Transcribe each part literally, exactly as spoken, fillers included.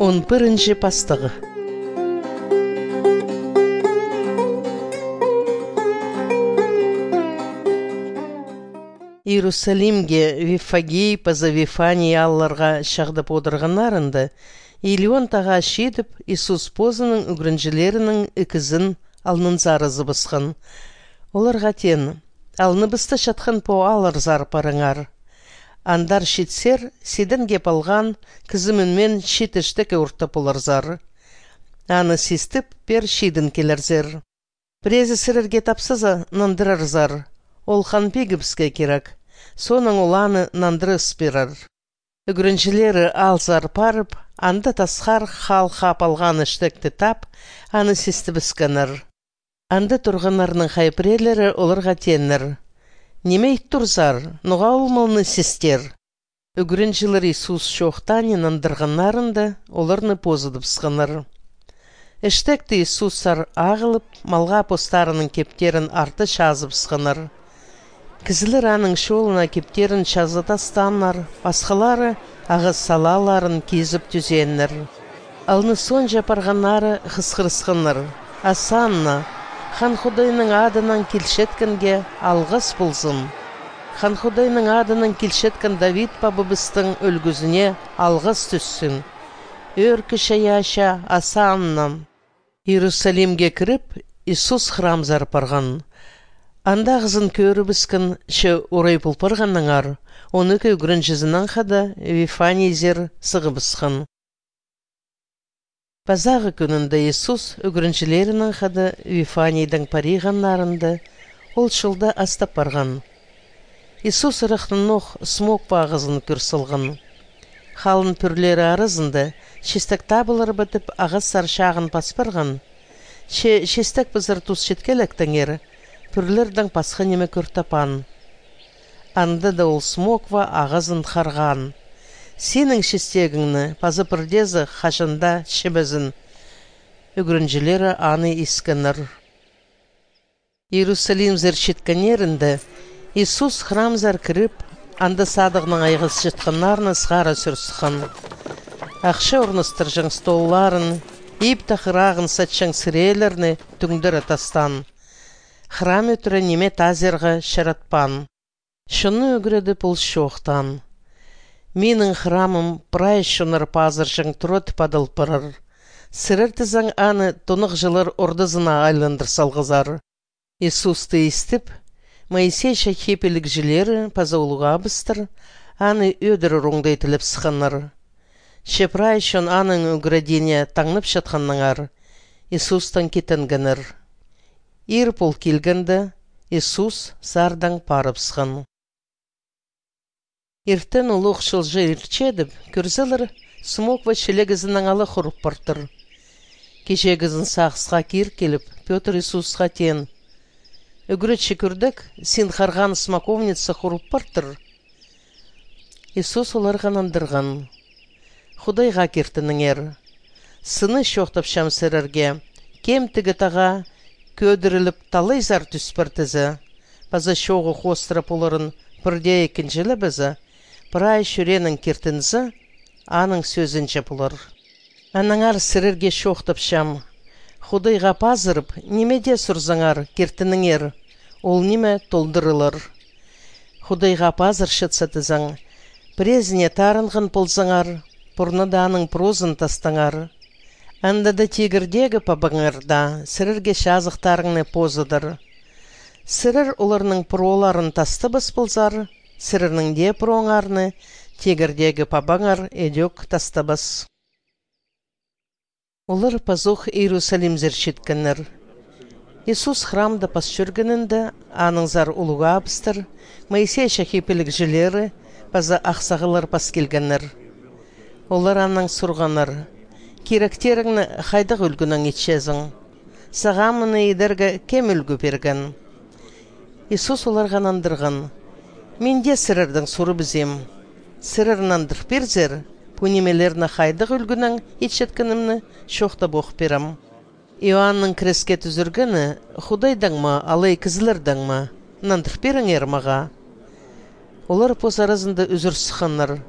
Он пірінҷі пастағы. Иерусалимге Виффагей паза Вифаний аалларға чағдап одырғаннарында, Илеон тағаа читіп, Иисус позының ӱгренҷілерінің ікізін алнынзар ызыбысхан. Оларға теен: «Алныбыста чатхан пу аалларзар парыңар. Андар читсер, сиден кеп алған кізі мӱнмеен чиит іштекке ортап поларзар. Аны систіп, пеер чидін килерзер. Піреезі сірерге тапсаза, нандырарзар: „Ол хан пигібіске кирек“, соонаң ол аны нандыра ыс пирер». Ӱгренҷілері аалзар парып, анда тасхар хаал хап алған іштекті тап, аны систібіскеннер. Анда турғаннарның хай пірелері оларға тееннер: «Ниме ит турзар? Ноға ол малны систер?» Ӱгренҷілер Иисус чоохтаанын андырғаннарында, оларны позыдыбысханнар. Іштекті Иисустар ағылып, малға постарының кептерін арты чазыбысханнар. Кізілер аның чолына кептерін чазы тастааннар, пасхалары ағас салааларын кизіп тӱзееннер. Алнысонҷа парғаннары хысхырысханнар: «Осанна! Хан Худайның адынаң килчеткенге алғыс ползын! Хан Худайның адынаң килчеткен Давид пабабыстың ӱлгӱзіне алғыс тӱссін! Ӧӧркі чайаачы Осанна!» Иерусалимге кіріп, Иисус храмзар парған. Анда ағазын кӧрібіскен, че орай пол парғаннаңар, он ікі ӱгренҷізінең хада Вифанийзер сығыбысхан. Пазағы кӱнінде Иисус ӱгренҷілерінең хада Вифанийдең париғаннарында, ол чолда астап парған. Иисус ырахтанох смоква ағазын кӧр салған. Халын пӱрлері аразында чистек табылар ба тіп ағастар чағын пас парған. Че чистек пазар тус читкелектеңер, пӱрлердең пасха ниме кӧр таппаан. Анда даа ол смоква ағазын харғаан. «Синің чистегіңні паза пірдеезі хаҷан даа чібезін». Ӱгренҷілері аны искеннер. Иерусалимзер читкеннерінде Иисус храмзар кіріп, анда садығнаң айғасчатханнарны сығара сӱр сыххан. Ахча орнастырҷаң столларын, иб тағырағын сатчаң сірелерні тӱңдере тастаан. Храм ӧтіре ниме тазирға чаратпаан. Чонны ӱгредіп, ол чоохтаан: «Минің храмым прай чоннар пазырҷаң тура тіп адал парар. Сірер тізең, аны тонағҷылар ордазына айландыр салғазар». Иисусты истіп, Моисей чахи пілігҷілері паза улуғ абыстар аны ӧдірер оңдай тілеп сыхханнар. Че прай чон аның ӱгредиине таңнапчатханнаңар, Иисустаң китенгеннер. Ир пол килгенде, Иисус сардаң парыбысхан. Иртен улуғ чылҷа иртчедіп, кӧрзелер, смоква чилегізінең ала хурып партыр. Кичегізін сағысха кир киліп, Пётр Иисусха теен: «Ӱгретчі, кӧрдек, син харған смоковница хурып партыр». Иисус оларға нандырған: «Худайға киртініңер. Сыны чоохтапчам сірерге: кем тігі тағаа кӧдіріліп, талайзар тӱс партыза, паза чооғы хоостыра поларын пірдее кінҷілебезе, прай чӱреенең киртінзе, аның сӧзінҷе полар. Аннаңар сірерге чоохтапчам: Худайға пазырып, ниме дее сурзаңар, киртініңер, ол ниме толдырылар. Худайға пазырчатса тізең, піреезіне таарынған ползаңар, пурнада аның прозын тастаңар. Анда даа тигірдегі пабаңар даа сірерге чазахтарыңны позыдар. Сірер оларның проларын тастабас ползар, сірернің дее прооңарны тигірдегі пабаңар идӧк тастабас». Олар пазох Иерусалимзер читкеннер. Иисус храмда пас чӧргенінде, аннаңзар улуғ абыстар, Моисей чахи пілігҷілері паза ахсағаллар пас килгеннер. Олар аннаң сурғаннар: «Киректеріңні хайдағ ӱлгӱнең итчезің? Сағаа мыны идерге кем ӱлгӱ пирген?» Иисус оларға нандырған: «Мин дее сірердең сурыбызим. Сірер нандыр пирзер, пу нимелерні хайдағ ӱлгӱнең итчеткенімні чоохтап ох пирем. Иоанның креске тӱзіргені Худайдаң ма, алай кізілердең ма? Нандыр пиріңер мағаа». Олар пос аразында ӱзӱр сыхханнар: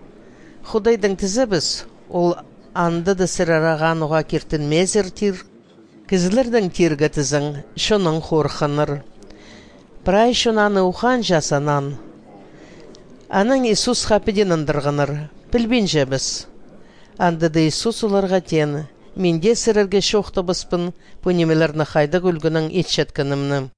«Худайдаң тізебіс, ол Анда даа сірер ағаа ноға киртінмезер тир. Кізілердең тирге тізең, чоннаң хорыхханнар. Прай чон аны ухаанҷа санаан. Анаң Иисусха піди нандырғаннар: «Пілбинчебіс». Анда даа Иисус оларға теен: «Мин дее сірерге чоохтабаспын, пу нимелерні хайдағ ӱлгенең итчеткенімні».